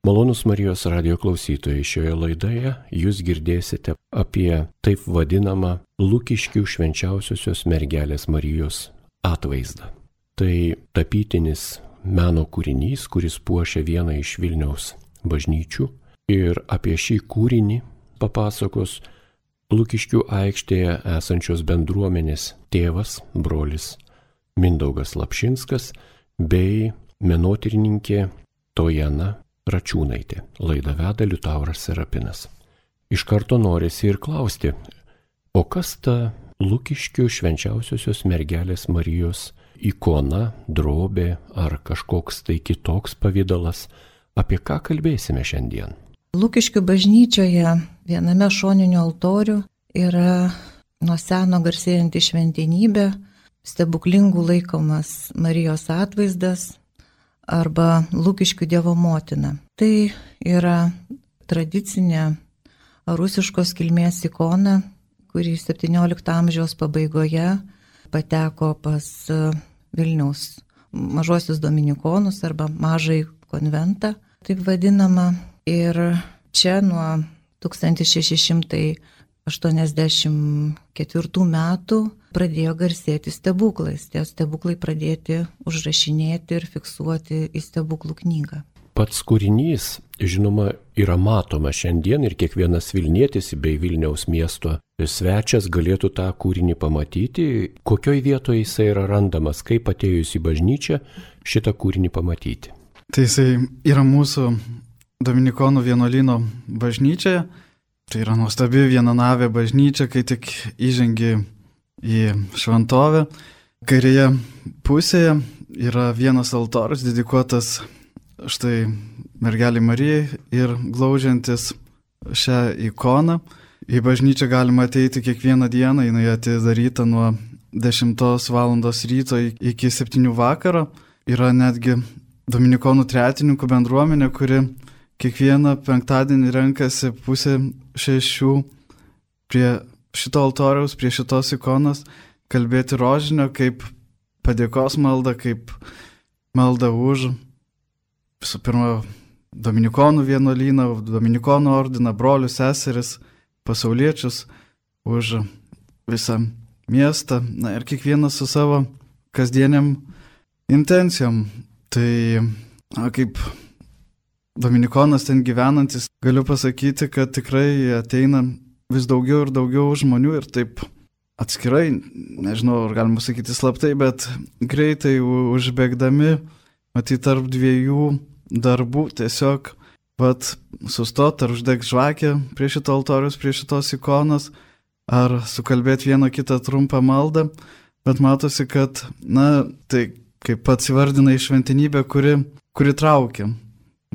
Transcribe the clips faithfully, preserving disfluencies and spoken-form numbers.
Malonūs Marijos radio klausytojai, šioje laidoje jūs girdėsite apie taip vadinamą Lukiškių švenčiausiosios mergelės Marijos atvaizdą. Tai tapytinis meno kūrinys, kuris puošia vieną iš Vilniaus bažnyčių, ir apie šį kūrinį papasakos Lukiškių aikštėje esančios bendruomenės tėvas, brolis Mindaugas Lapšinskas bei menotyrininkė Tojana Račiūnaitė. Laidą veda Liutauras Serapinas. Iš karto norisi ir klausti, o kas ta Lukiškių švenčiausiosios mergelės Marijos ikona, drobė ar kažkoks tai kitoks pavidalas? Apie ką kalbėsime šiandien? Lukiškių bažnyčioje viename šoninių altorių yra nuo seno garsėjanti šventenybė, stebuklingų laikomas Marijos atvaizdas arba Lukiškių Dievo motina. Tai yra tradicinė rusiškos kilmės ikona, kuri septyniolikto amžiaus pabaigoje pateko pas Vilniaus mažuosius dominikonus arba mažąjį konventą, taip vadinama. Ir čia nuo tūkstantis šeši šimtai aštuoniasdešimt ketvirtų metų pradėjo garsėti stebuklais. Tie stebuklai pradėti užrašinėti ir fiksuoti į stebuklų knygą. Pats kūrinys, žinoma, yra matoma šiandien ir kiekvienas Vilnietis bei Vilniaus miesto svečias galėtų tą kūrinį pamatyti. Kokioj vietoje jisai yra randamas, kaip atėjus į bažnyčią šitą kūrinį pamatyti? Tai jisai yra mūsų Dominikonų vienuolyno bažnyčioje. Tai yra nuostabi vienanavė bažnyčia, kai tik įžengi į šventovę. Kairėje pusėje yra vienas altorius dedikuotas štai mergelei Marijai ir glaudžiantis šią ikoną. Į bažnyčią galima ateiti kiekvieną dieną, jinai atidaryta nuo dešimtos valandos ryto iki septynių vakaro. Yra netgi Dominikonų tretininkų bendruomenė, kuri kiekvieną penktadienį renkasi pusę šešių prie šito altoriaus, prie šitos ikonos, kalbėti rožinio kaip padėkos maldą, kaip maldą už visų pirma Dominikonų vienuolyną, Dominikonų ordiną, brolius, seseris, pasauliečius, už visą miestą, na ir kiekvienas su savo kasdieniam intencijom. Tai na, kaip Dominikonas ten gyvenantis, galiu pasakyti, kad tikrai ateina vis daugiau ir daugiau žmonių ir taip atskirai, nežinau, ar galima sakyti slaptai, bet greitai užbėgdami, matyt, tarp dviejų darbų tiesiog vat sustot ar uždeg žvakę prie šito altorius, prie šitos ikonos, ar sukalbėti vieną kitą trumpą maldą, bet matosi, kad, na, tai kaip pats įvardinai šventenybė, kuri, kuri traukia.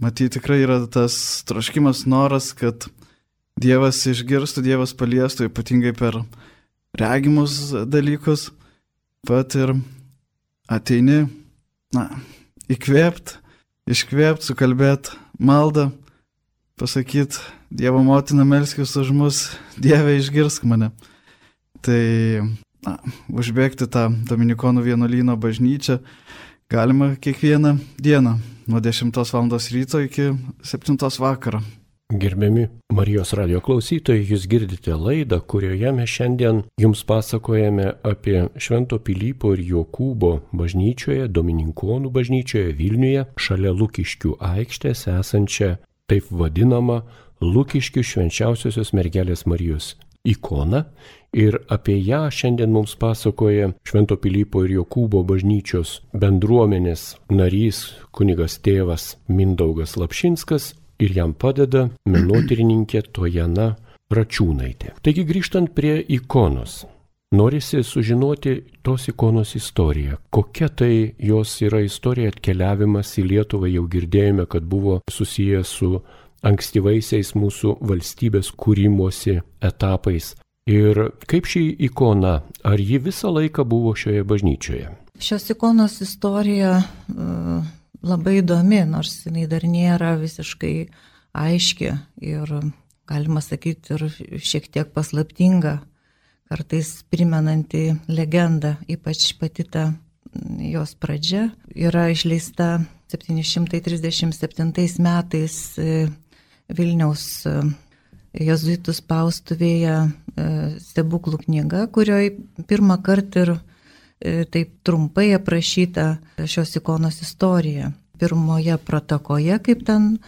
Matyt, tikrai yra tas troškimas, noras, kad Dievas išgirstų, Dievas paliestų, ypatingai per regimus dalykus, pat ir ateini, na, įkvėpt, iškvėpt, sukalbėt maldą, pasakyt, Dievo motina, melskis už mus, Dieve išgirsk mane. Tai, na, užbėgti tą Dominikonų vienuolyno bažnyčią galima kiekvieną dieną, nuo dešimtos valandos ryto iki septintos vakaro. Gerbiami Marijos radio klausytojai, jūs girdite laidą, kurioje mes šiandien jums pasakojame apie Švento Pilypo ir Jokūbo bažnyčioje, Dominikonų bažnyčioje Vilniuje, šalia Lukiškių aikštės esančią taip vadinamą Lukiškių švenčiausiosios mergelės Marijos ikoną. Ir apie ją šiandien mums pasakoja Švento Pilypo ir Jokūbo bažnyčios bendruomenės narys kunigas tėvas Mindaugas Lapšinskas ir jam padeda menotyrininkė Tojana Račiūnaitė. Taigi grįžtant prie ikonos, norisi sužinoti tos ikonos istoriją. Kokia tai jos yra istorija, atkeliavimas į Lietuvą, jau girdėjome, kad buvo susijęs su ankstyvaisiais mūsų valstybės kūrimosi etapais. Ir kaip ši ikona, ar ji visą laiką buvo šioje bažnyčioje? Šios ikonos istorija uh, labai įdomi, nors jinai dar nėra visiškai aiški ir, galima sakyti, ir šiek tiek paslaptinga, kartais primenanti legendą, ypač pati ta jos pradžia yra išleista septyni šimtai trisdešimt septintais metais Vilniaus jėzuitų spaustuvėje stebuklų knyga, kurioje pirmą kartą ir taip trumpai aprašyta šios ikonos istorija. Pirmoje protokoje, kaip ten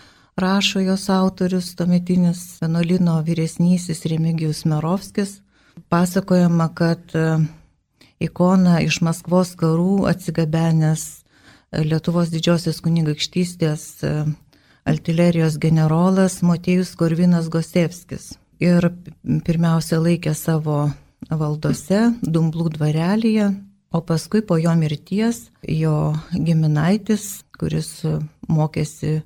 rašo jos autorius, tuometinis vienuolyno vyresnysis Remigijus Merovskis, pasakojama, kad ikoną iš Maskvos karų atsigabenęs Lietuvos didžiosios kunigaikštystės artilerijos generolas Motiejus Korvinas Gosevskis. Ir pirmiausia laikė savo valdose Dumblų dvarelyje, o paskui po jo mirties jo giminaitis, kuris mokėsi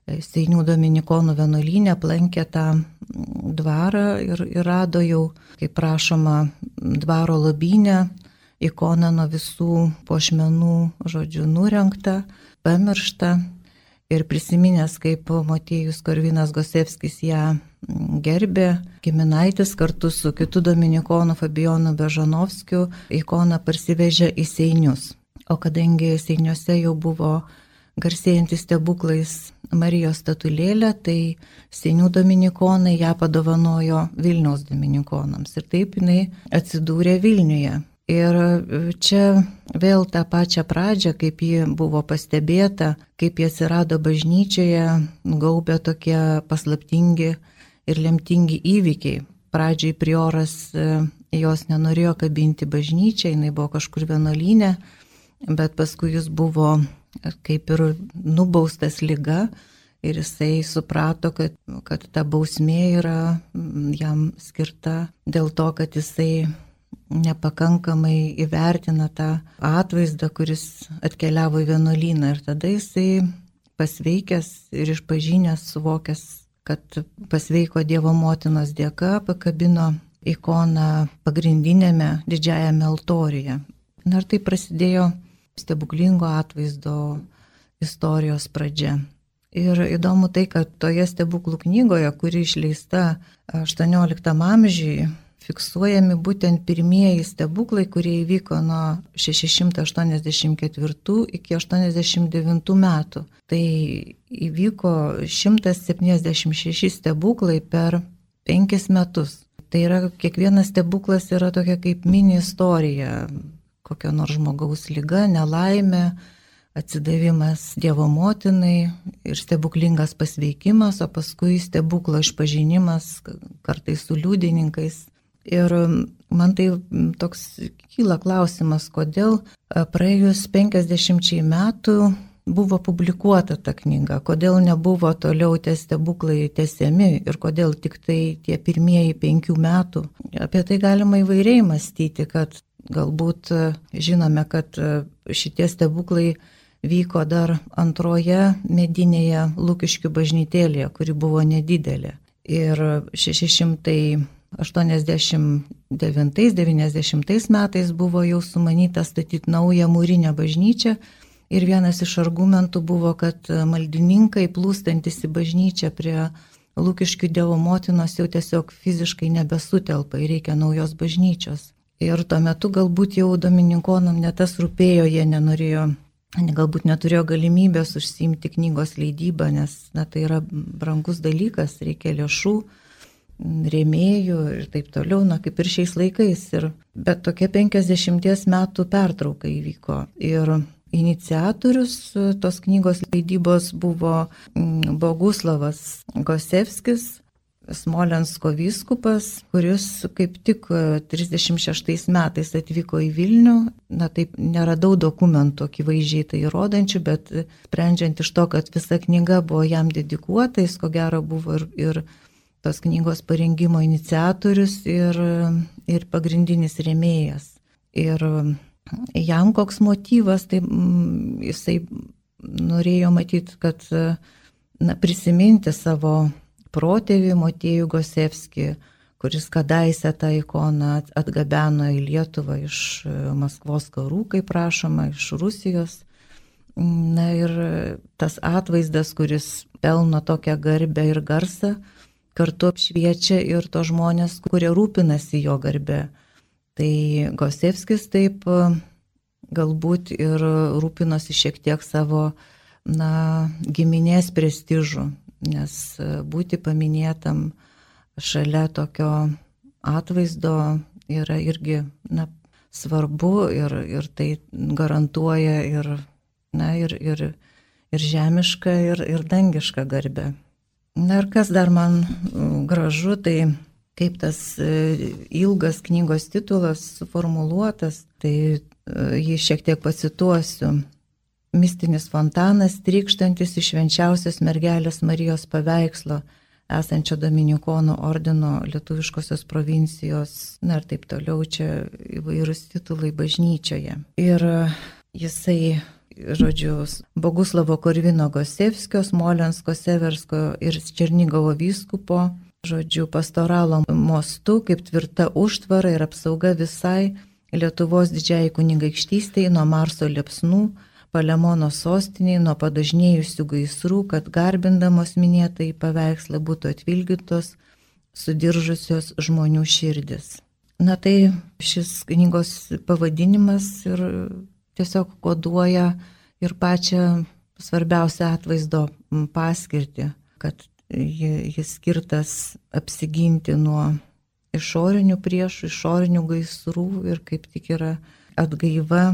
Seinių dominikonų vienuolyne, aplankė tą dvarą ir, ir rado jau, kaip prašoma, dvaro lobyne ikoną nuo visų puošmenų, žodžiu, nurengtą, pamirštą. Ir prisiminęs, kaip Motiejus Korvinas Gosevskis ją gerbė, giminaitis kartu su kitu dominikonu Fabijonu Bežanovskiu ikoną parsivežė į Seinius. O kadangi Seiniuose jau buvo garsėjantis stebuklais Marijos statulėlė, tai Seinių dominikonai ją padovanojo Vilniaus dominikonams. Ir taip jinai atsidūrė Vilniuje. Ir čia vėl tą pačią pradžią, kaip ji buvo pastebėta, kaip ji atsirado bažnyčioje, gaubė tokie paslaptingi ir lemtingi įvykiai. Pradžiai prioras jos nenorėjo kabinti bažnyčią, jinai buvo kažkur vienuolyne, bet paskui jis buvo kaip ir nubaustas liga ir jisai suprato, kad, kad ta bausmė yra jam skirta dėl to, kad jisai nepakankamai įvertina tą atvaizdą, kuris atkeliavo į vienuolyną. Ir tada jisai pasveikęs ir išpažinęs, suvokęs, kad pasveiko Dievo motinos dėka, pakabino ikoną pagrindinėme didžiajame altoriuje. Ir tai prasidėjo stebuklingo atvaizdo istorijos pradžia. Ir įdomu tai, kad toje stebuklų knygoje, kuri išleista aštuonioliktam amžiui, fiksuojami būtent pirmieji stebuklai, kurie įvyko nuo šeši šimtai aštuoniasdešimt ketvirtų iki aštuoniasdešimt devintų metų. Tai įvyko šimtas septyniasdešimt šeši stebuklai per penkis metus. Tai yra, kiekvienas stebuklas yra tokia kaip mini istorija, kokio nors žmogaus liga, nelaimė, atsidavimas Dievo motinai ir stebuklingas pasveikimas, o paskui stebuklo išpažinimas, kartais su liudininkais. Ir man tai toks kyla klausimas, kodėl praėjus penkiasdešimčiai metų buvo publikuota ta knyga, kodėl nebuvo toliau tie stebuklai tęsiami ir kodėl tik tai tie pirmieji penkių metų. Apie tai galima įvairiai mąstyti, kad galbūt žinome, kad šitie stebuklai vyko dar antroje medinėje Lukiškių bažnytėlėje, kuri buvo nedidelė. Ir šeši šimtai aštuoniasdešimt devintais devyniasdešimtais metais buvo jau sumanyta statyti naują mūrinę bažnyčią ir vienas iš argumentų buvo, kad maldininkai plūstantis į bažnyčią prie Lukiškių Dievo motinos jau tiesiog fiziškai nebesutelpa ir reikia naujos bažnyčios. Ir tuo metu galbūt jau dominikonam ne tas rūpėjo, jie nenorėjo, galbūt neturėjo galimybės užsiimti knygos leidybą, nes na, tai yra brangus dalykas, reikia lėšų, rėmėjų ir taip toliau, na kaip ir šiais laikais. Ir, bet tokia penkiasdešimties metų pertrauka įvyko. Ir iniciatorius tos knygos leidybos buvo Boguslavas Gosevskis, Smolensko vyskupas, kuris kaip tik trisdešimt šeštais metais atvyko į Vilnių. Na taip, neradau dokumentų akivaizdžiai tai įrodančių, bet sprendžiant iš to, kad visa knyga buvo jam dedikuota, jis ko gero buvo ir, ir tos knygos parengimo iniciatorius ir, ir pagrindinis rėmėjas. Ir jam koks motyvas, tai jisai norėjo matyti, kad na, prisiminti savo protėvį Motiejų Gosevskį, kuris kadaise tą ikoną atgabeno į Lietuvą iš Maskvos karų, kaip prašoma, iš Rusijos. Na ir tas atvaizdas, kuris pelno tokią garbę ir garsą, kartu apšviečia ir to žmonės, kurie rūpinasi jo garbe. Tai Gosevskis taip galbūt ir rūpinosi šiek tiek savo na, giminės prestižų, nes būti paminėtam šalia tokio atvaizdo yra irgi, na, svarbu ir, ir tai garantuoja ir, na, ir, ir, ir žemišką, ir, ir dangišką garbę. Na ir kas dar man gražu, tai kaip tas ilgas knygos titulas suformuluotas, tai jį šiek tiek pacituosiu. Mistinis fontanas, trykštantis iš švenčiausios mergelės Marijos paveikslo, esančio Dominikonų ordino lietuviškosios provincijos, na ir taip toliau, čia įvairūs titulai bažnyčioje. Ir jisai, žodžiu, Boguslavo Korvino Gosevskio, Smolensko, Seversko ir Černigovo vyskupo, žodžiu, pastoralo mostu, kaip tvirta užtvara ir apsauga visai Lietuvos didžiai kunigaikštystei nuo Marso liepsnų, Palemono sostiniai, nuo padažnėjusių gaisrų, kad garbindamos minėtai paveikslą būtų atvilgytos sudiržusios žmonių širdis. Na tai šis knygos pavadinimas ir tiesiog koduoja ir pačią svarbiausią atvaizdo paskirtį, kad jis skirtas apsiginti nuo išorinių priešų, išorinių gaisrų ir kaip tik yra atgaiva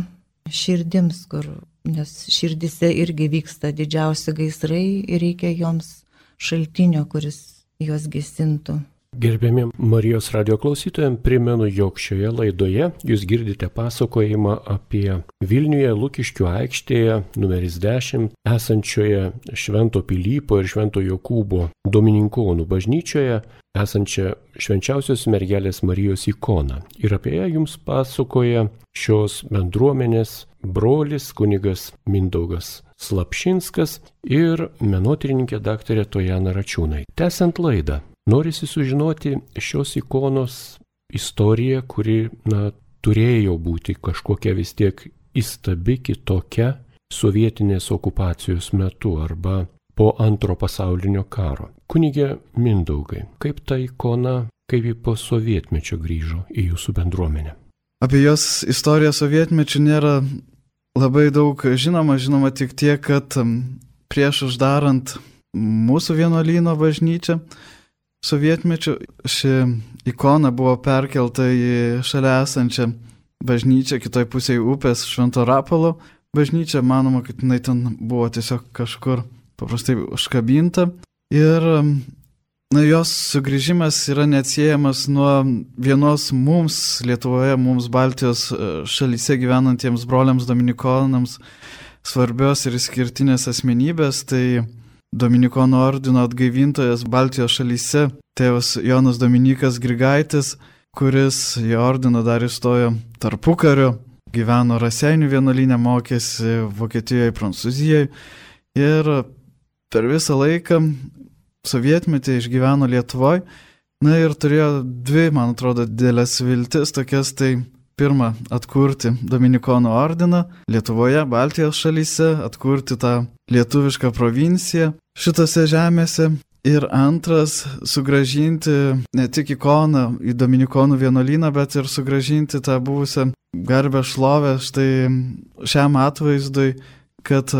širdims, kur, nes širdise irgi vyksta didžiausi gaisrai ir reikia joms šaltinio, kuris juos gesintų. Gerbiami Marijos radio klausytojams, primenu, jog šioje laidoje jūs girdite pasakojimą apie Vilniuje Lukiškių aikštėje numeris dešimt esančioje Švento Pilypo ir Švento Jokūbo Domininkonų bažnyčioje esančią švenčiausios mergelės Marijos ikoną. Ir apie ją jums pasakoja šios bendruomenės brolis kunigas Mindaugas Slapšinskas ir menotyrininkė daktarė Tojana Račiūnai. Tęsiant laidą, norisi sužinoti šios ikonos istoriją, kuri, na, turėjo būti kažkokia vis tiek įstabi, kitokia sovietinės okupacijos metu arba po antro pasaulinio karo. Kunige Mindaugai, kaip ta ikona, kaip ji po sovietmečio grįžo į jūsų bendruomenę? Apie jos istoriją sovietmečių nėra labai daug žinoma, žinoma tik tiek, kad prieš uždarant mūsų vienuolyno bažnyčią sovietmečiu ši ikona buvo perkelta į šalia esančią bažnyčią, kitoj pusėje upės Švento Rapalo bažnyčią. Manoma, kad jinai ten buvo tiesiog kažkur paprastai užkabinta. Ir na, jos sugrįžimas yra neatsiejamas nuo vienos mums Lietuvoje, mums Baltijos šalyse gyvenantiems broliams dominikonams svarbios ir išskirtinės asmenybės. Tai Dominikonų ordino atgaivintojas Baltijos šalyse, tėvas Jonas Dominikas Grigaitis, kuris į ordiną dar įstojo tarpukariu, gyveno Raseinių vienuolyne, mokėsi Vokietijoje, Prancūzijoje ir per visą laiką sovietmetį išgyveno Lietuvoje. Na ir turėjo dvi, man atrodo, didelės viltis, tokias tai pirma, atkurti Dominikonų ordiną Lietuvoje, Baltijos šalyse, atkurti tą lietuvišką provinciją šitose žemėse. Ir antras, sugrąžinti ne tik ikoną į Dominikonų vienuolyną, bet ir sugrąžinti tą buvusią garbę šlovę štai šiam atvaizdui, kad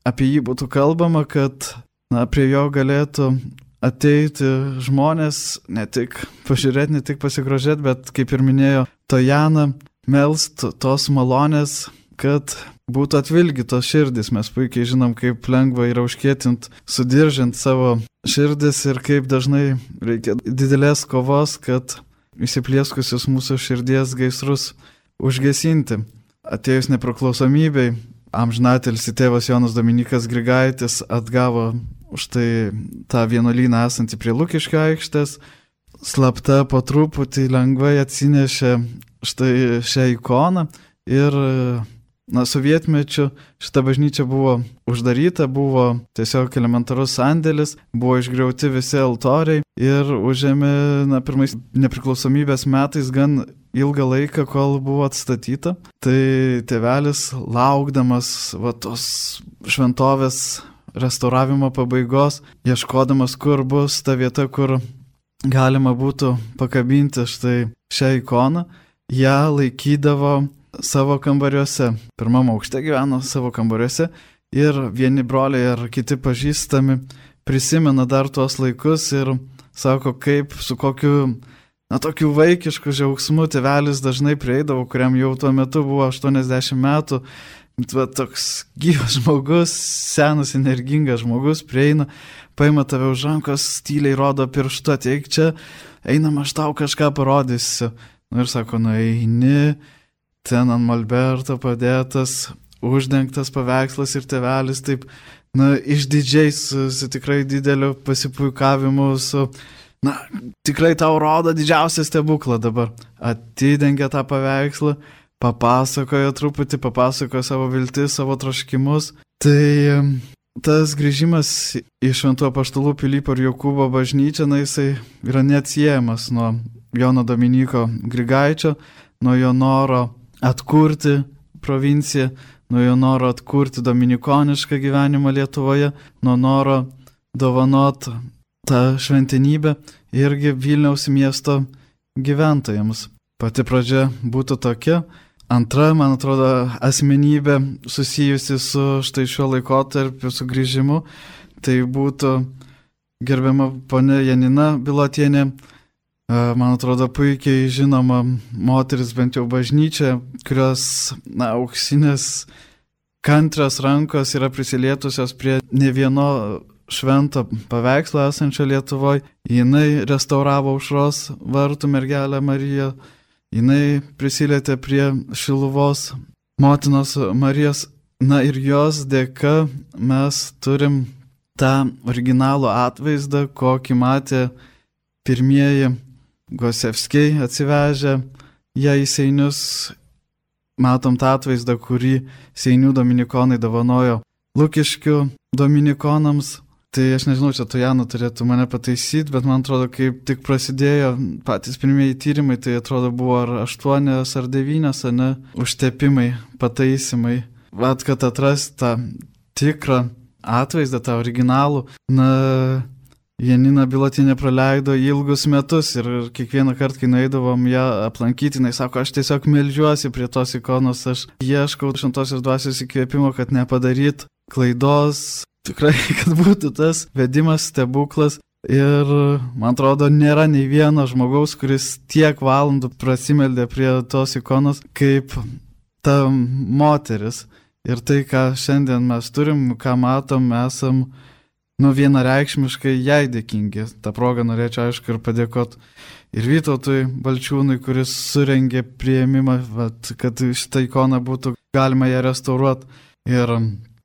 apie jį būtų kalbama, kad na, prie jo galėtų ateiti žmonės, ne tik pažiūrėti, ne tik pasigrožėti, bet, kaip ir minėjo Tojana, melst tos malonės, kad būtų atvilgytos širdis. Mes puikiai žinom, kaip lengva yra užkėtint, sudiržint savo širdis ir kaip dažnai reikia didelės kovos, kad įsiplieskusius mūsų širdies gaisrus užgesinti. Atėjus nepriklausomybei, amžinatilsį tėvas Jonas Dominikas Grigaitis atgavo štai tą vienuolyną esantį prie Lukiškių aikštės, slapta po truputį lengvai atsinešė štai šią ikoną ir na, sovietmečiu šita bažnyčia buvo uždaryta, buvo tiesiog elementarus sandėlis, buvo išgriauti visi altoriai ir užėmė na, pirmais nepriklausomybės metais gan ilgą laiką, kol buvo atstatyta. Tai tėvelis, laukdamas va, tos šventovės restauravimo pabaigos, ieškodamas, kur bus ta vieta, kur galima būtų pakabinti štai šią ikoną, ją laikydavo savo kambariuose. Pirmam aukšte gyveno savo kambariuose ir vieni broliai ar kiti pažįstami prisimena dar tuos laikus ir sako, kaip su kokiu, na, tokiu vaikišku džiaugsmu tėvelis dažnai prieidavo, kuriam jau tuo metu buvo aštuoniasdešimt metų. Va, toks gyvas žmogus, senas, energingas žmogus prieina, paima tave už rankos, tyliai rodo pirštu, ateik čia, einam, aš tau kažką parodysiu. Nu ir sako, nu eini, ten ant molberto padėtas, uždengtas paveikslas ir tėvelis taip, na, išdidžiai, su, su tikrai dideliu pasipuikavimu, su, na, tikrai tau rodo didžiausią stebuklą dabar. Atidengia tą paveikslą, papasakojo truputį, papasakojo savo viltis, savo troškimus. Tai tas grįžimas į Šventų Apaštalų Pilypo ir Jokūbo bažnyčią, na, jisai yra neatsiejamas nuo Jono Dominyko Grigaičio, nuo jo noro atkurti provinciją, nuo jo noro atkurti dominikonišką gyvenimą Lietuvoje, nuo noro dovanot tą šventenybę irgi Vilniaus miesto gyventojams. Pati pradžia būtų tokia. Antra, man atrodo, asmenybė susijusi su štai šiuo laikotarpiu sugrįžimu, tai būtų gerbiama ponia Janina Bilotienė, man atrodo, puikiai žinoma moteris, bent jau bažnyčia, kurios, na, auksinės kantrios rankos yra prisilietusios prie ne vieno švento paveikslo esančio Lietuvoje. Jinai restauravo Aušros vartų mergelę Mariją, jinai prisilietė prie Šiluvos motinos Marijos. Na ir jos dėka mes turim tą originalų atvaizdą, kokį matė pirmieji Gosevskiai atsivežę ją į Seinius. Matom tą atvaizdą, kurį Seinių dominikonai dovanojo Lukiškių dominikonams. Tai aš nežinau, čia Tojana turėtų mane pataisyti, bet man atrodo, kaip tik prasidėjo patys pirmieji tyrimai, tai atrodo buvo ar aštuonios ar devynios, ar ne, užtepimai, pataisimai. Vat, kad atrasti tą tikrą atvaizdą, tą originalų, na, Janina Bilotienė praleido ilgus metus ir kiekvieną kartą, kai nueidavom ją aplankyti, jinai sako, aš tiesiog meldžiuosi prie tos ikonos, aš ieškau šventosios dvasios įkvėpimo, kad nepadaryt klaidos, tikrai, kad būtų tas vedimas, stebuklas. Ir man atrodo, nėra nei vieno žmogaus, kuris tiek valandų prasimeldė prie tos ikonos, kaip ta moteris. Ir tai, ką šiandien mes turim, ką matom, esam, nu, vienareikšmiškai jai dėkingi. Ta proga norėčiau, aišku, ir padėkoti ir Vytautui Balčiūnui, kuris surengė priėmimą, vat, kad šitą ikoną būtų galima ją restauruoti. Ir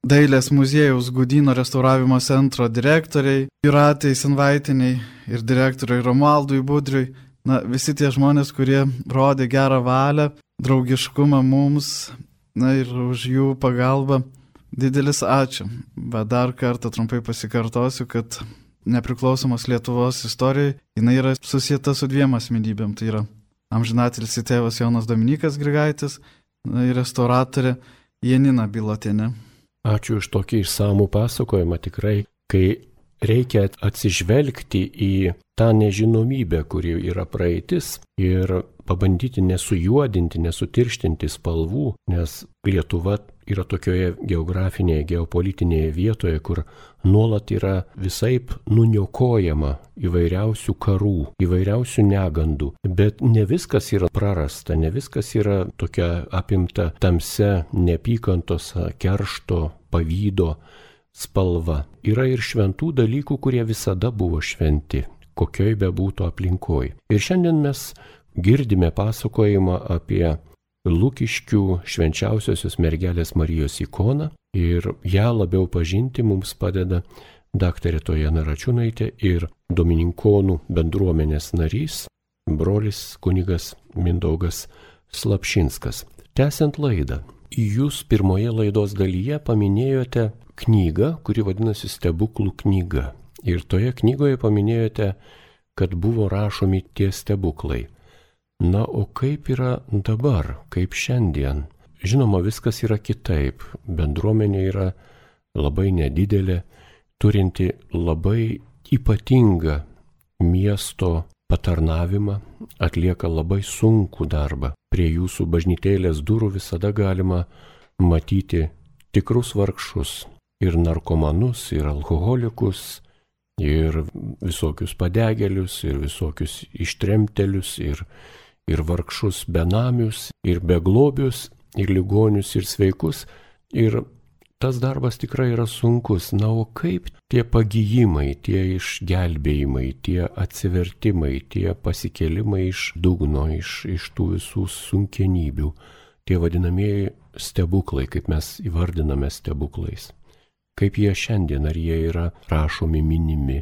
Dailės muziejaus Gudyno restauravimo centro direktoriai Jūratei Senvaitiniai ir direktoriui Romualdui Budriui. Na, visi tie žmonės, kurie rodė gerą valią, draugiškumą mums, na ir už jų pagalbą. Didelis ačiū. Bet dar kartą trumpai pasikartosiu, kad nepriklausomos Lietuvos istorijai jinai yra susieta su dviem asmenybėm. Tai yra amžinatilsį tėvas Jonas Dominykas Grigaitis ir restauratorė Janina Bilotienė. Ačiū už tokį išsamų pasakojimą. Tikrai, kai reikia atsižvelgti į tą nežinomybę, kuri yra praeitis, ir pabandyti nesujuodinti, nesutirštinti spalvų, nes Lietuva yra tokioje geografinėje, geopolitinėje vietoje, kur nuolat yra visaip nuniokojama įvairiausių karų, įvairiausių negandų. Bet ne viskas yra prarasta, ne viskas yra tokia apimta tamsia neapykantos, keršto, pavydo spalva. Yra ir šventų dalykų, kurie visada buvo šventi, kokioj be būtų aplinkoj. Ir šiandien mes girdime pasakojimą apie Lukiškių švenčiausiosios mergelės Marijos ikoną ir ją labiau pažinti mums padeda daktarė Tojana Račiūnaitė ir domininkonų bendruomenės narys, brolis kunigas Mindaugas Slapšinskas. Tęsiant laidą, jūs pirmoje laidos dalyje paminėjote knygą, kuri vadinasi Stebuklų knyga. Ir toje knygoje paminėjote, kad buvo rašomi tie stebuklai. Na, o kaip yra dabar, kaip šiandien? Žinoma, viskas yra kitaip. Bendruomenė yra labai nedidelė, turinti labai ypatingą miesto patarnavimą, atlieka labai sunkų darbą. Prie jūsų bažnytėlės durų visada galima matyti tikrus vargšus, ir narkomanus, ir alkoholikus, ir visokius padegėlius, ir visokius ištremtelius, ir, ir vargšus benamius, ir beglobius, ir ligonius, ir sveikus. Ir tas darbas tikrai yra sunkus. Na, o kaip tie pagijimai, tie išgelbėjimai, tie atsivertimai, tie pasikėlimai iš dugno, iš, iš tų visų sunkenybių, tie vadinamieji stebuklai, kaip mes įvardiname stebuklais. Kaip jie šiandien, ar jie yra rašomi, minimi,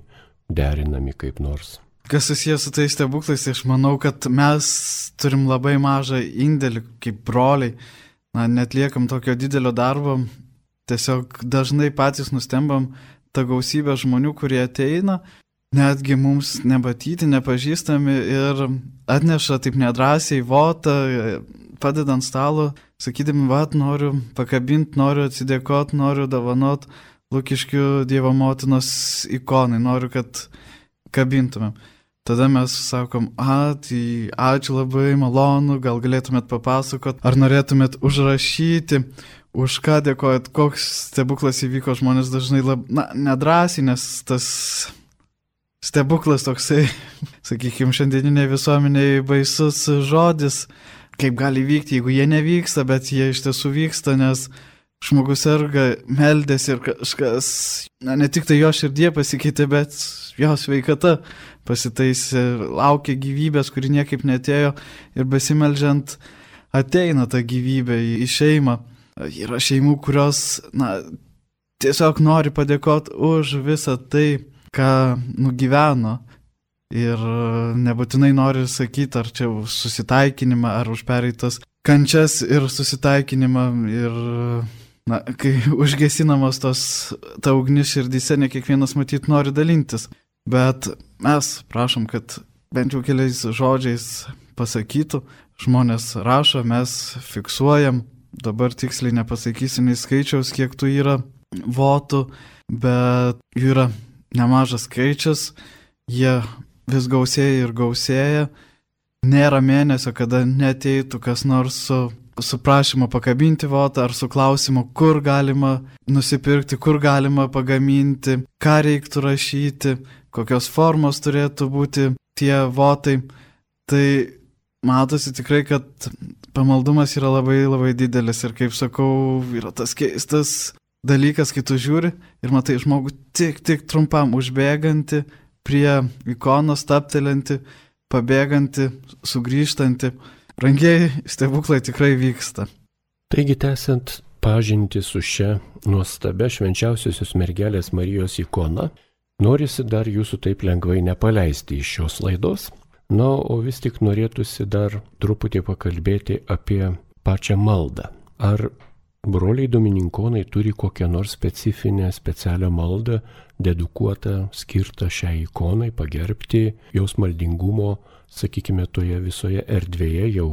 derinami kaip nors? Kas susijęs su tais stebuklais, aš manau, kad mes turim labai mažą indėlį kaip broliai. Na, netliekam tokio didelio darbo, tiesiog dažnai patys nustembam tą gausybę žmonių, kurie ateina, netgi mums nematyti, nepažįstami ir atneša taip nedrąsiai votą, padeda ant stalo, sakydami, vat, noriu pakabinti, noriu atsidėkoti, noriu dovanot Lukiškių Dievo motinos ikonai, noriu, kad kabintumėm. Tada mes sakom, a, tai ačiū labai, malonu, gal galėtumėt papasakot, ar norėtumėt užrašyti, už ką dėkojat, koks stebuklas įvyko, žmonės dažnai lab, na, nedrąsiai, nes tas stebuklas toksai, sakykime, šiandieniniai visuomeniai baisus žodis, kaip gali vykti, jeigu jie nevyksta, bet jie iš tiesų vyksta, nes žmogus serga, meldėsi ir kažkas, na, ne tik tai jo širdie pasikeitė, bet jo sveikata pasitaisė, laukia gyvybės, kuri niekaip netėjo ir besimeldžiant ateina ta gyvybė į šeimą. Yra šeimų, kurios, na, tiesiog nori padėkoti už visą tai, ką nugyveno. Ir nebūtinai nori sakyti, ar čia už susitaikinimą, ar už pereitas kančias ir susitaikinimą. Ir, na, kai užgesinamos tos ta ugnis širdyse, ne kiekvienas matyt nori dalintis. Bet mes prašom, kad bent jau keliais žodžiais pasakytų, žmonės rašo, mes fiksuojam, dabar tiksliai nepasakysim į skaičiaus, kiek tų yra votų, bet jų yra nemažas skaičius, jie vis gausėja ir gausėja, nėra mėnesio, kada neteitų kas nors su, su prašymu pakabinti votą ar su klausimu, kur galima nusipirkti, kur galima pagaminti, ką reiktų rašyti, kokios formos turėtų būti tie votai. Tai matosi tikrai, kad pamaldumas yra labai labai didelis ir, kaip sakau, yra tas keistas dalykas, kai tu žiūri ir matai žmogų tik, tik trumpam užbėgantį prie ikonos, taptelinti, pabėgantį, sugrįžtantį. Brangiai, stebuklai tikrai vyksta. Taigi, tęsiant pažintį su šia nuostabia švenčiausiosios mergelės Marijos ikona, norisi dar jūsų taip lengvai nepaleisti iš šios laidos. Na, o vis tik norėtųsi dar truputį pakalbėti apie pačią maldą. Ar broliai domininkonai turi kokią nors specifinę, specialią maldą, dedukuotą, skirtą šiai ikonai, pagerbti jos maldingumo, sakykime, toje visoje erdvėje jau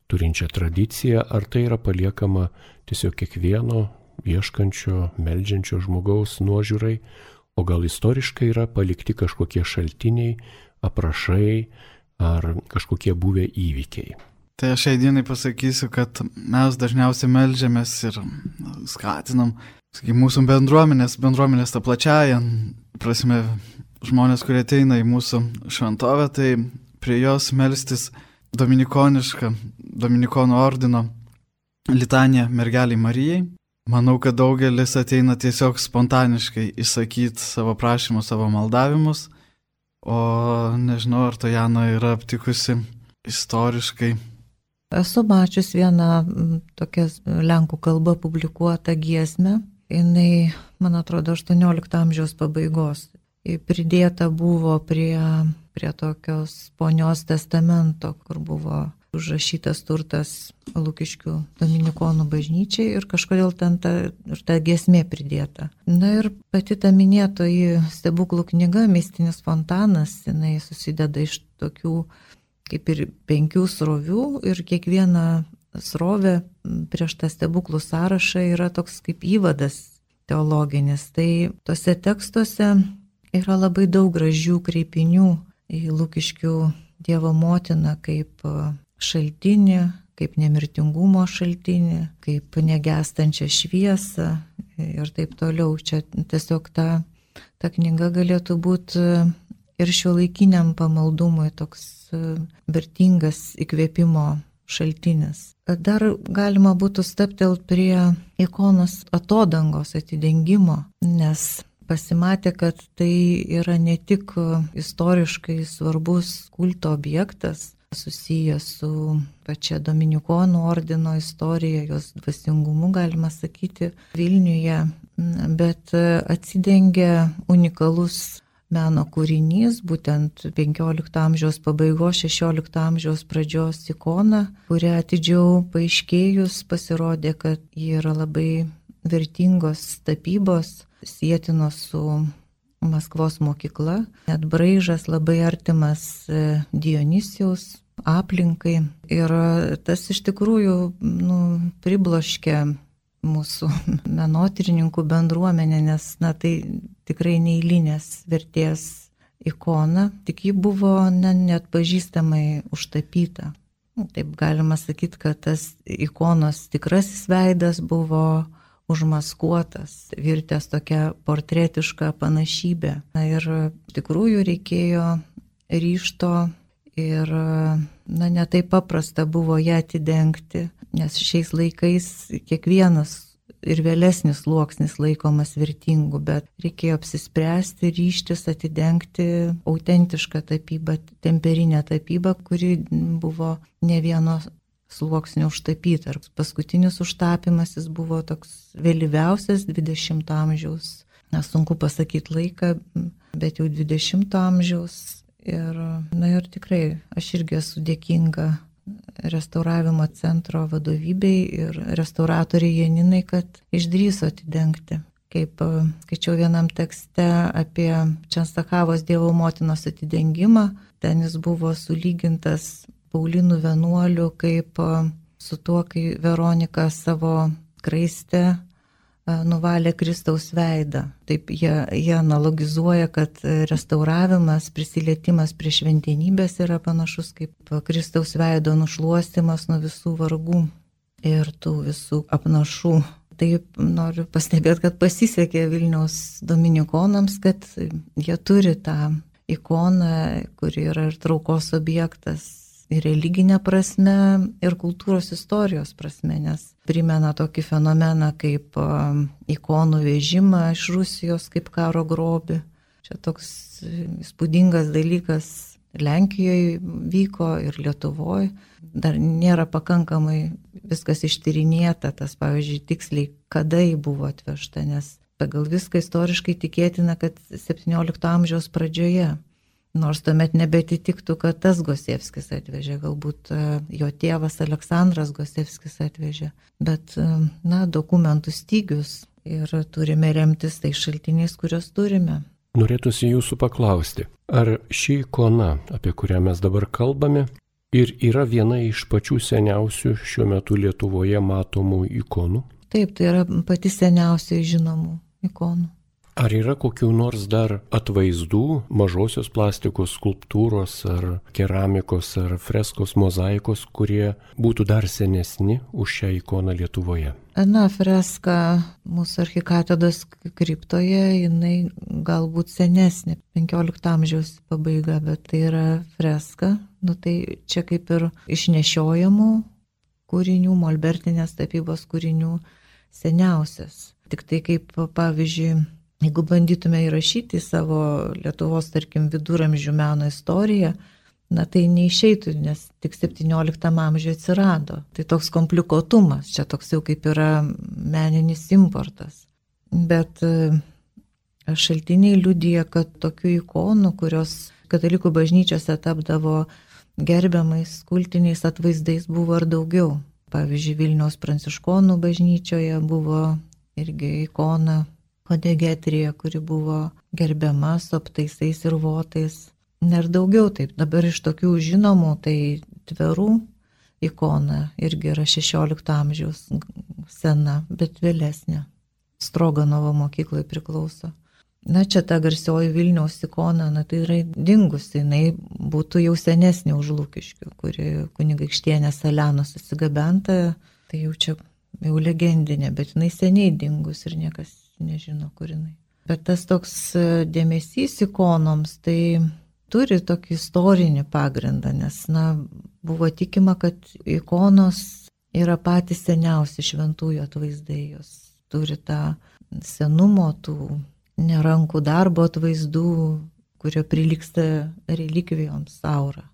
turinčią tradiciją, ar tai yra paliekama tiesiog kiekvieno ieškančio, meldžiančio žmogaus nuožiūrai, o gal istoriškai yra palikti kažkokie šaltiniai, aprašai ar kažkokie buvę įvykiai. Tai aš šiai dienai pasakysiu, kad mes dažniausiai meldžiamės ir skatinam, sakykime, mūsų bendruomenės, bendruomenės tą plačiąją prasme, žmonės, kurie ateina į mūsų šventovę, tai prie jos melstis dominikonišką, dominikonų ordino litaniją mergeliai Marijai. Manau, kad daugelis ateina tiesiog spontaniškai išsakyti savo prašymus, savo maldavimus, o nežinau, ar to Jana yra aptikusi istoriškai. Esu mačius vieną tokią lenkų kalbą publikuotą giesmę. Jinai, man atrodo, aštuoniolikto amžiaus pabaigos. Pridėta buvo prie, prie tokios ponios testamento, kur buvo užrašytas turtas Lukiškių dominikonų bažnyčiai ir kažkodėl ten ta, ir ta giesmė pridėta. Na ir pati ta minėtoji stebuklų knyga Mistinis fontanas, jinai susideda iš tokių kaip ir penkių srovių ir kiekviena srovė prieš tą stebuklų sąrašą yra toks kaip įvadas teologinis. Tai tose tekstuose yra labai daug gražių kreipinių į Lukiškių Dievo motiną kaip šaltinį, kaip nemirtingumo šaltinį, kaip negestančią šviesą ir taip toliau. Čia tiesiog ta, ta knyga galėtų būti ir šiuolaikiniam pamaldumui toks vertingas įkvėpimo šaltinis. Dar galima būtų stabtelt prie ikonos atodangos atidengimo, nes pasimatė, kad tai yra ne tik istoriškai svarbus kulto objektas, susijęs su pačia Dominikonų ordino istorija, jos dvasingumu, galima sakyti, Vilniuje, bet atsidengia unikalus meno kūrinys, būtent penkiolikto amžiaus pabaigos, šešiolikto amžiaus pradžios ikona, kurią atidžiau paaiškėjus pasirodė, kad ji yra labai vertingos tapybos, sietinos su Maskvos mokykla, net braižas labai artimas Dionisijaus aplinkai. Ir tas iš tikrųjų nu, pribloškė mūsų menotyrininkų bendruomenė, nes na, tai tikrai neeilinės vertės ikona, tik ji buvo ne, net pažįstamai užtapyta. Taip galima sakyti, kad tas ikonos tikrasis veidas buvo užmaskuotas, virtęs tokia portretiška panašybė. Na ir tikrųjų reikėjo ryžto ir na, ne taip paprasta buvo ją atidengti, nes šiais laikais kiekvienas ir vėlesnis sluoksnis laikomas vertingu, bet reikėjo apsispręsti, ryžtis atidengti autentišką tapybą, temperinę tapybą, kuri buvo ne vieno sluoksnio užtapyta. Ir paskutinis užtapimas jis buvo toks vėlyviausias dvidešimto amžiaus, na, sunku pasakyti laiką, bet jau dvidešimto amžiaus. Ir, na ir tikrai, aš irgi esu dėkinga restauravimo centro vadovybei ir restauratoriai Janinai, kad išdrįso atidengti. Kaip skaičiau vienam tekste apie Čenstakavos Dievo motinos atidengimą, ten jis buvo sulygintas Paulinų vienuolių kaip su tuo, kai Veronika savo kraiste nuvalė Kristaus veidą. Taip jie, jie analogizuoja, kad restauravimas, prisilietimas prie šventenybės yra panašus kaip Kristaus veido nušluostimas nuo visų vargų ir tų visų apnašų. Taip noriu pastebėti, kad pasisekė Vilniaus dominikonams, kad jie turi tą ikoną, kuri yra ir traukos objektas, ir religinė prasme, ir kultūros istorijos prasme, nes primena tokį fenomeną kaip ikonų vežimą iš Rusijos kaip karo grobį. Čia toks įspūdingas dalykas Lenkijoje vyko ir Lietuvoje. Dar nėra pakankamai viskas ištyrinėta, tas pavyzdžiui tiksliai, kada jį buvo atvežta, nes pagal viską istoriškai tikėtina, kad septyniolikto amžiaus pradžioje. Nors tuomet nebetitiktų, kad tas Gosievskis atvežė, galbūt jo tėvas Aleksandras Gosievskis atvežė, bet, na, dokumentų stygius ir turime remtis tai šaltiniais, kuriuos turime. Norėtųsi jūsų paklausti, ar ši ikona, apie kurią mes dabar kalbame, ir yra viena iš pačių seniausių šiuo metu Lietuvoje matomų ikonų? Taip, tai yra pati seniausiai žinomų ikonų. Ar yra kokių nors dar atvaizdų, mažosios plastikos skulptūros ar keramikos ar freskos mozaikos, kurie būtų dar senesni už šią ikoną Lietuvoje? Na, freska mūsų arkikatedros kriptoje, jinai galbūt senesnė, penkiolikto amžiaus pabaiga, bet tai yra freska. Nu, tai čia kaip ir išnešiojamų kūrinių, molbertinės tapybos kūrinių seniausias. Tik tai kaip, pavyzdžiui, jeigu bandytume įrašyti savo Lietuvos, tarkim, viduramžių meno istoriją, na tai neišeitų, nes tik septynioliktam amžiuje atsirado. Tai toks komplikuotumas, čia toks jau kaip yra meninis importas. Bet šaltiniai liudija, kad tokių ikonų, kurios katalikų bažnyčiose tapdavo gerbiamais kultiniais atvaizdais, buvo ir daugiau. Pavyzdžiui, Vilniaus pranciškonų bažnyčioje buvo irgi ikona Kodegetrija, kuri buvo gerbiama su aptaisais ir votais. Ir daugiau taip. Dabar iš tokių žinomų, tai Tverų ikona irgi yra šešiolikto amžiaus sena, bet vėlesnė. Stroganovo mokyklai priklauso. Na, čia ta garsioji Vilniaus ikona, na, tai yra dingusi, jinai būtų jau senesnė už Lukiškių, kuri kunigaikštienės Elenos atsigabenta, tai jau čia jau legendinė, bet jinai seniai dingus ir niekas nežino, kur jinai. Bet tas toks dėmesys ikonoms, tai turi tokį istorinį pagrindą, nes, na, buvo tikima, kad ikonos yra patys seniausi šventųjų atvaizdai, jos turi tą senumo, tų nerankų darbo atvaizdų, kurio prilyksta relikvijoms aura.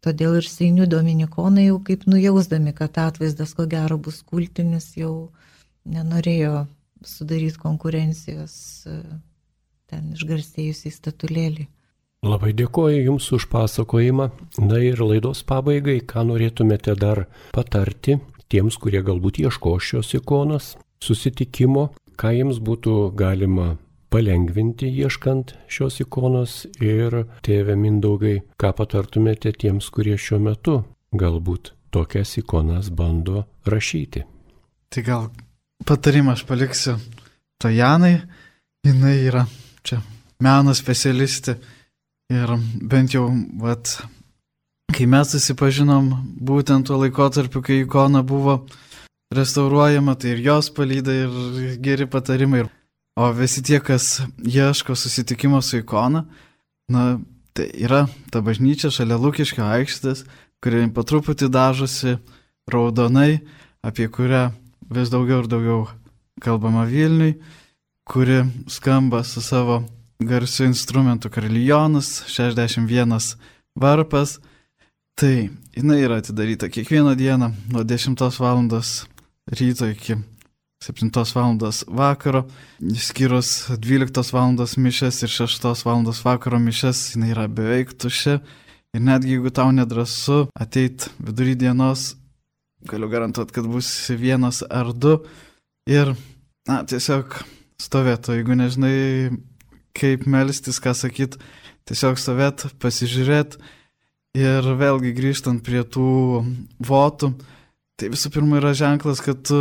Todėl ir Seinių dominikonai jau kaip nujausdami, kad atvaizdas ko gero bus kultinis, jau nenorėjo sudaryti konkurencijos ten išgarsėjusiai statulėlį. Labai dėkoju Jums už pasakojimą. Na ir laidos pabaigai, ką norėtumėte dar patarti tiems, kurie galbūt ieško šios ikonos susitikimo, ką jiems būtų galima palengvinti ieškant šios ikonos ir tėve Mindaugai, ką patartumėte tiems, kurie šiuo metu galbūt tokias ikonas bando rašyti? Tai gal patarimą aš paliksiu Tojanai, jinai yra čia meno specialistė ir bent jau, vat, kai mes susipažinom būtent tuo laikotarpiu, kai ikona buvo restauruojama, tai ir jos palyda ir geri patarimai. O visi tie, kas ieško susitikimo su ikona, na, tai yra ta bažnyčia šalia Lukiškio aikštės, kuri po truputį dažosi raudonai, apie kurią vis daugiau ir daugiau kalbama Vilniui, kuri skamba su savo garsiu instrumentu karilionas, šešiasdešimt vienas varpas. Tai jinai yra atidaryta kiekvieną dieną nuo dešimtos valandos ryto iki septintos valandos vakaro, išskyrus dvyliktos valandos mišes ir šeštos valandos vakaro mišes, jinai yra beveik tuščia. Ir netgi jeigu tau nedrąsu ateit vidury dienos, galiu garantuoti, kad bus vienas ar du. Ir, na, tiesiog stovėtų, jeigu nežinai, kaip melstis, ką sakyt, tiesiog stovėt, pasižiūrėt. Ir vėlgi grįžtant prie tų votų, tai visų pirma yra ženklas, kad tu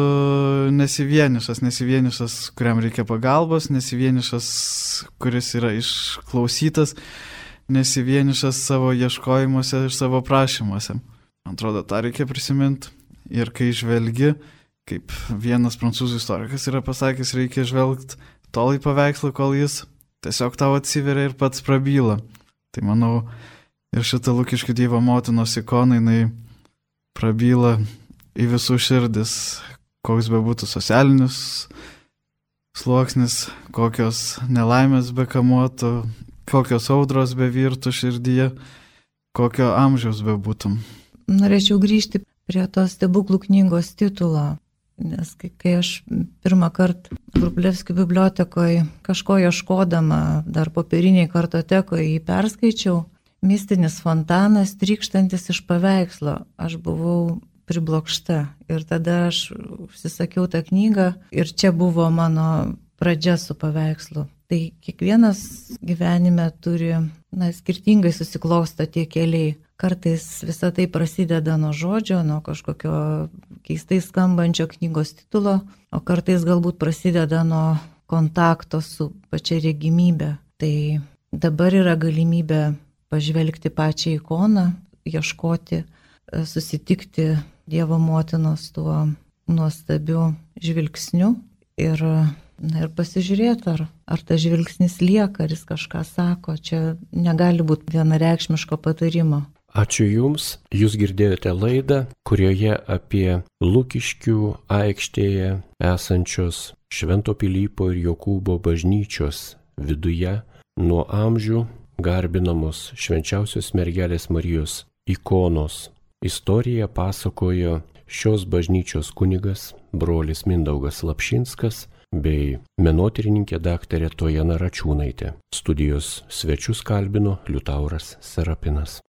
nesi vienišas, nesi vienišas, kuriam reikia pagalbos, nesi vienišas, kuris yra išklausytas, nesi vienišas savo ieškojimuose ir savo prašymuose. Man atrodo, tą reikia prisiminti. Ir kai žvelgi, kaip vienas prancūzų istorikas yra pasakęs, reikia žvelgti tol į paveikslą, kol jis tiesiog tau atsiveria ir pats prabyla. Tai manau, ir šitą Lukiškių Dievo motinos ikoną, jinai prabyla į visų širdis, koks bebūtų socialinis sluoksnis, kokios nelaimės bekamuotų, kokios audros bevirtų širdyje, kokio amžiaus bebūtum. Norėčiau grįžti prie tos stebuklų knygos titulo, nes kai, kai aš pirmą kartą Vrublevskių bibliotekoje kažko ieškodama, dar popieriniai kartotekoje jį perskaičiau, mistinis fontanas trykštantis iš paveikslo, aš buvau priblokšta. Ir tada aš užsisakiau tą knygą ir čia buvo mano pradžia su paveikslu. Tai kiekvienas gyvenime turi, na, skirtingai susiklosto tie keliai. Kartais visa tai prasideda nuo žodžio, nuo kažkokio keistai skambančio knygos titulo, o kartais galbūt prasideda nuo kontakto su pačia regimybė. Tai dabar yra galimybė pažvelgti pačią ikoną, ieškoti, susitikti Dievo motinos tuo nuostabiu žvilgsniu ir, na, ir pasižiūrėti, ar, ar tas žvilgsnis lieka, ar jis kažką sako. Čia negali būti vienareikšmiško patarimo. Ačiū Jums. Jūs girdėjote laidą, kurioje apie Lukiškių aikštėje esančios Švento Pilypo ir Jokūbo bažnyčios viduje nuo amžių garbinamos švenčiausios mergelės Marijos ikonos istoriją pasakojo šios bažnyčios kunigas brolis Mindaugas Lapšinskas bei menotyrininkė daktarė Tojana Račiūnaitė. Studijos svečius kalbino Liutauras Serapinas.